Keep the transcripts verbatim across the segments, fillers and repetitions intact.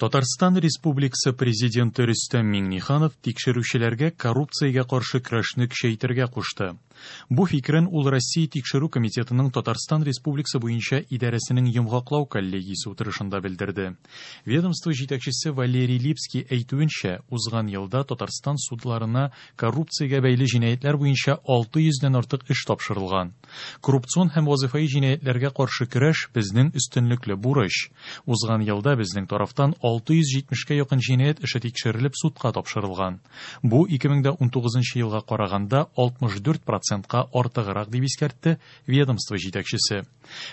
Татарстан Республикасы Президенты Рөстәм Миңнеханов тикшерүчеләргә коррупциягә каршы көрәшне көчәйтергә кушты. Бу фикерен ул Россия Тикшерү комитетының Татарстан Республикасы буенча идарәсенең йомгаклау коллегиясе утырышында белдерде. Ведомство җитәкчесе Валерий Липский әйтүенчә, узган елда Татарстан судларына коррупциягә бәйле җинаятьләр буенча алты йөздән артык эш тапшырылган. Коррупцион һәм вазифаи җинаятьләргә каршы көрәш безнең өстенлекле бурыч. Узган елда безнең тарафтан алты йөз җитмешкә якын җинаять эше тикшерелеп судка тапшырылган. Бу ике мең дә унтугызынчы елга караганда алтмыш дүрт процентка артыграк, дип искәртте ведомство җитәкчесе.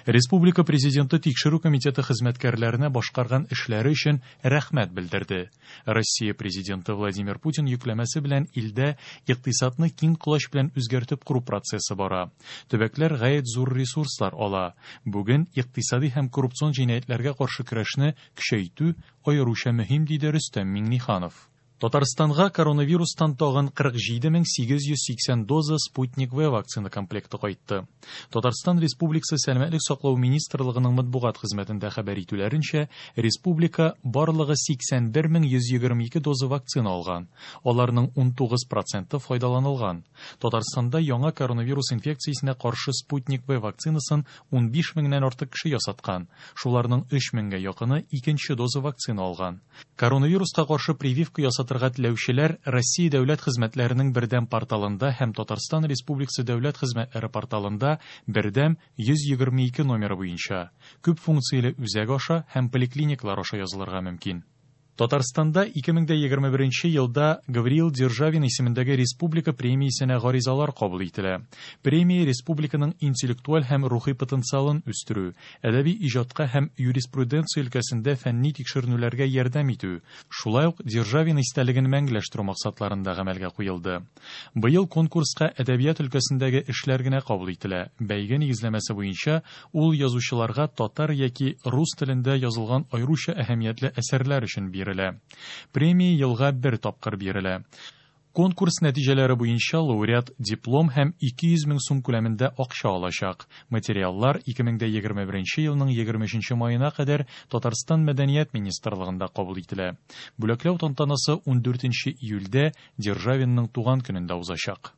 Республика президенты тикшерү комитеты хезмәткәрләренә башкарган эшләре өчен рәхмәт белдерде. Россия президенты Владимир Путин йөкләмәсе белән илдә икътисадны киң колач белән үзгәртеп кору процессы бара. Төбәкләр гаять зур ресурслар ала. Бүген икътисади һәм коррупцион җинаятьләргә каршы көрәшне көчәйтү аеруча мөһим, диде Рөстәм Миңнеханов. Татарстанга коронавирустан тагын кырык җиде мең сигез йөз сиксән доза Спутник В вакцина комплекты кайтты. Татарстан Республикасы Сәламәтлек саклау министрлыгының матбугат хезмәтендә хәбәр итүләренчә, республика барлыгы сиксән бер мең йөз егерме ике доза вакцина алган. Аларның унтугыз проценты файдаланылган. Татарстанда яңа коронавирус инфекциясенә каршы Спутник В вакцинасын унбиш меңнән артык кеше ясаткан. Шуларның өч меңгә якыны икенче доза вакцина алган. Коронавируска каршы прививка ясатырга теләүчеләр Россия дәүләт хезмәтләренең бердәм порталында һәм Татарстан Республикасы дәүләт хезмәтләре порталында бердәм йөз егерме ике номеры буенча күп функцияле үзәк аша һәм поликлиниклар аша язылырга мөмкин. Татарстанда ике мең дә егерме беренче елда Гавриил Державин исемендәге республика премиясенә гаризалар кабул ителә. Премия республиканың интеллектуаль һәм рухи потенциалын үстерү, әдәби иҗатка һәм юриспруденция өлкәсендә фәнни тикшеренүләргә ярдәм итү, шулай ук Державин истәлеген мәңгеләштерү максатларында гамәлгә куелды. Быел конкурска әдәбият өлкәсендәге эшләр генә кабул ителә. Бәйге нигезләмәсе буенча ул язучыларга татар яки рус телендә язылган аеруча әһәмиятле әсәрләр өчен бирелә. Премия елга бер тапкыр бирелә. Конкурс нәтиҗәләре буенча лауреат диплом һәм ике йөз мең сум күләмендә акча алачак. Материаллар ике мең дә егерме беренче елның егерме өченче маена кадәр Татарстан Мәдәният министрлыгында кабул ителә. Бүләкләү тантанасы ундүртенче июльдә Державинның туган көнендә узачак.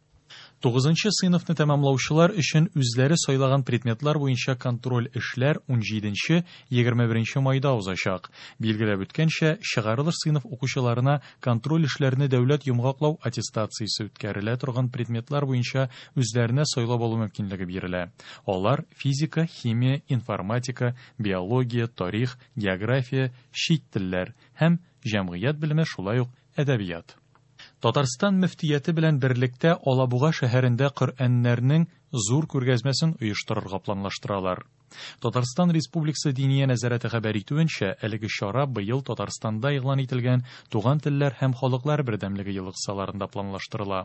Тугызынчы сыйныфны тәмамлаучылар өчен үзләре сайлаган предметлар буенча контроль эшләр унҗиденче, егерме беренче майда узачак. Билгеләп үткәнчә, чыгарылыш сыйныф укучыларына контроль эшләрне дәүләт йомгаклау аттестациясе үткәрелә торган предметлар буенча үзләренә сайлап алу мөмкинлеге бирелә. Алар физика, химия, информатика, биология, тарих, география, чит телләр һәм җәмгыять белеме, шулай ук әдәбият. Татарстан мөфтияте белән берлектә Алабуга шәһәрендә Коръәннәрнең зур күргәзмәсен оештырырга планлаштыралар. Татарстан Республикасы Диния нәзарәте хәбәр итүенчә, әлеге чара быел Татарстанда игълан ителгән Туган телләр һәм халыклар бердәмлеге елы кысаларында планлаштырыла.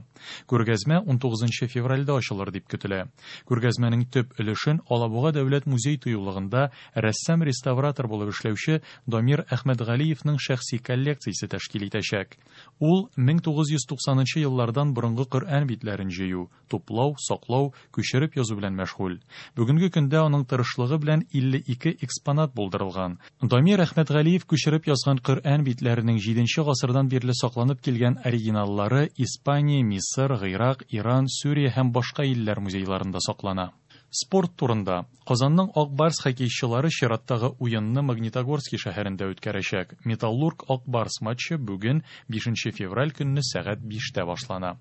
Күргәзмә унтугызынчы февральдә ачылыр дип көтелә. Күргәзмәнең төп өлешен Алабуга дәүләт музей тыюлыгында рәссам-реставратор булып эшләүче Дамир Әхмәтгалиевның шәхси коллекциясе тәшкил итәчәк. Ул мең тугыз йөз туксанынчы еллардан борынгы Коръән битләрен җыю, туплау, саклау, күчереп язу белән мәшгуль. Бүгенге көндә аның тырышлыгы белән илле ике экспонат булдырылган. Дамир Әхмәтгалиев күчереп язган Коръән битләренең җиденче гасырдан бирле сакланып килгән оригиналлары Испания, Мисыр, Гыйрак, Иран, Сүрия һәм башка илләр музейларында саклана. Спорт турында. Казанның Ак Барс хоккейчылары чираттагы уенны Магнитогорский шәһәрендә үткәрәчәк. Металлург Ак Барс матчы бүген бишенче февраль көнне сәгать биштә башлана.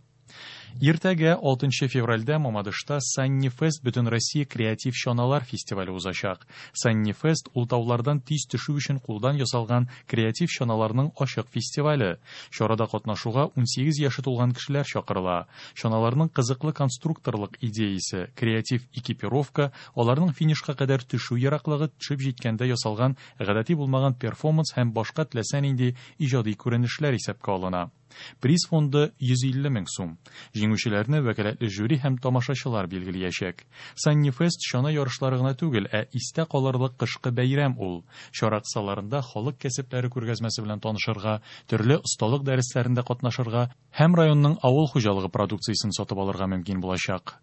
Иртәгә алтынчы февральдә Мамадышта Санни Фест Бөтенроссия креатив чаналар фестивале узачак. Санни Фест ул таулардан тиз төшү өчен кулдан ясалган креатив чаналарның ачык фестивале. Чарада катнашуга унсигез яше тулган кешеләр чакырыла. Чаналарның кызыклы конструкторлык идеясе, креатив экипировка, аларның финишка кадәр төшү ераклыгы, төшеп җиткәндә ясалган гадәти булмаган перформанс һәм башка теләсә нинди иҗади күренешләр исәпкә алына. Приз фонды йөз илле мең сум. Җиңүчеләрне вәкаләтле жюри һәм тамашачылар билгеләячәк. Санни Фест чана ярышлары гына түгел, ә истә калырлык кышкы бәйрәм ул. Чара кысаларында халык кәсепләре күргәзмәсе белән танышырга, төрле осталык дәресләрендә катнашырга һәм районның авыл хуҗалыгы продукциясен сатып алырга мөмкин булачак.